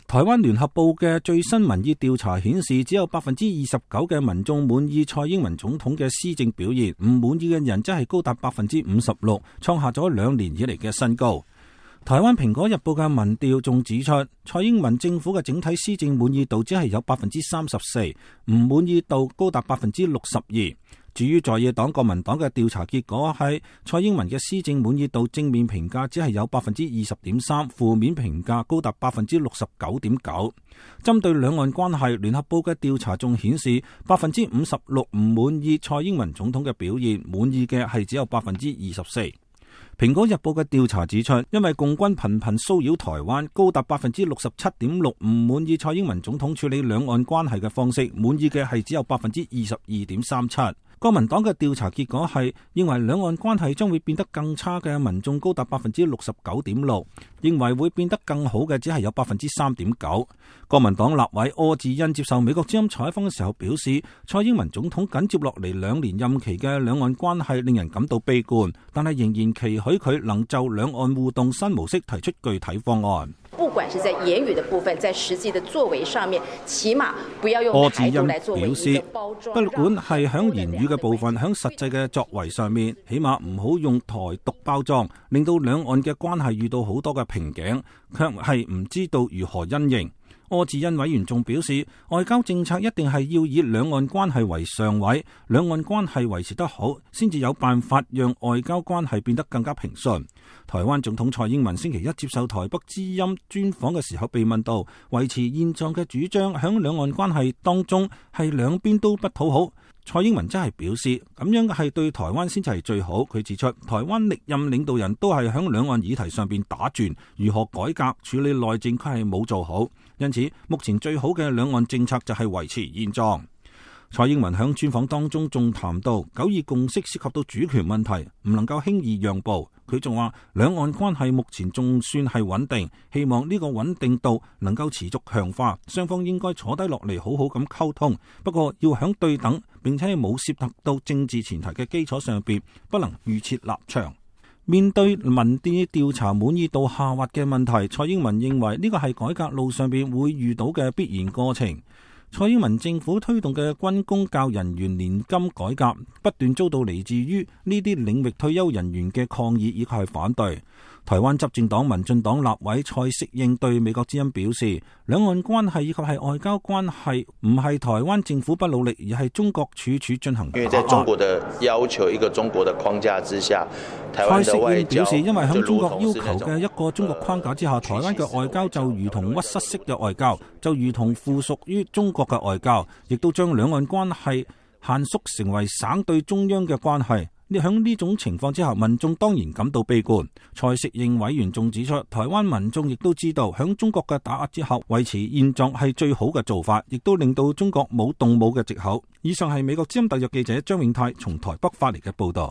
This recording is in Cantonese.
台灣聯合報嘅最新民意調查顯示，只有29%嘅民眾滿意蔡英文總統嘅施政表現，唔滿意嘅人則係高達56%，創下咗2年以嚟嘅新高。台灣蘋果日報嘅民調仲指出，蔡英文政府嘅整體施政滿意度只係有34%，唔滿意度高達62%。至於在野黨國民黨嘅調查結果係，蔡英文嘅施政滿意度正面評價只係有20.3%，負面評價高達69.9%。針對兩岸關係，聯合報嘅調查仲顯示56%唔滿意蔡英文總統嘅表現，滿意嘅係只有24%。蘋果日報嘅調查指出，因為共軍頻頻騷擾台灣，高達67.6%唔滿意蔡英文總統處理兩岸關係嘅方式，滿意嘅係只有22.37%。國民黨嘅調查結果係，認為兩岸關係將會變得更差嘅民眾高達69.6%，認為會變得更好嘅只係有3.9%。國民黨立委柯志恩接受美國之音採訪嘅時候表示，蔡英文總統緊接落嚟2年任期嘅兩岸關係令人感到悲觀，但係仍然期許佢能就兩岸互動新模式提出具體方案。不管是在言語的部分，在實際的作為上面，起碼不要用台獨來作為一個包裝。不管係響言語嘅部分，響實際嘅作為上面，起碼唔好用台獨包裝，令到兩岸嘅關係遇到好多嘅瓶頸，卻係唔知道如何因應。柯志恩委員仲表示，外交政策一定係要以兩岸關係為上位，兩岸關係維持得好，先至有辦法讓外交關係變得更加平順。台灣總統蔡英文星期一接受台北之音專訪嘅時候被問到，維持現狀嘅主張響兩岸關係當中係兩邊都不討好。蔡英文真係表示，咁樣係對台灣先至係最好。佢指出，台灣歷任領導人都係響兩岸議題上邊打轉，如何改革處理內政佢係冇做好，因此目前最好嘅兩岸政策就係維持現狀。蔡英文響專訪當中仲談到9·2共識涉及到主權問題，唔能夠輕易讓步。佢仲話兩岸關係目前仲算係穩定，希望呢個穩定度能夠持續強化，雙方應該坐低落嚟好好咁溝通。不過要響對等並且冇涉及到政治前提嘅基礎上邊，不能預設立場。面對民意調查滿意度下滑嘅問題，蔡英文認為呢個係改革路上邊會遇到嘅必然過程。蔡英文政府推動嘅軍公教人員年金改革，不斷遭到嚟自於呢啲領域退休人員嘅抗議以及係反對。台灣執政黨民進黨立委蔡適應對美國之音表示，兩岸關係以及係外交關係唔係台灣政府不努力，而係中國處處進行。因為在中國的要求一個中國的框架之下，蔡適應表示，因為響中國要求嘅一個中國框架之下，台灣嘅外交就如同屈膝式嘅外交，就如同附屬於中國嘅外交，亦都將兩岸關係限縮成為省對中央嘅關係。響呢種情況之下，民眾當然感到悲觀。蔡適應委員仲指出，台灣民眾亦都知道響中國嘅打壓之後，維持現狀係最好嘅做法，亦都令到中國冇動武嘅藉口。以上係美國之音特約記者張永泰從台北發嚟嘅報道。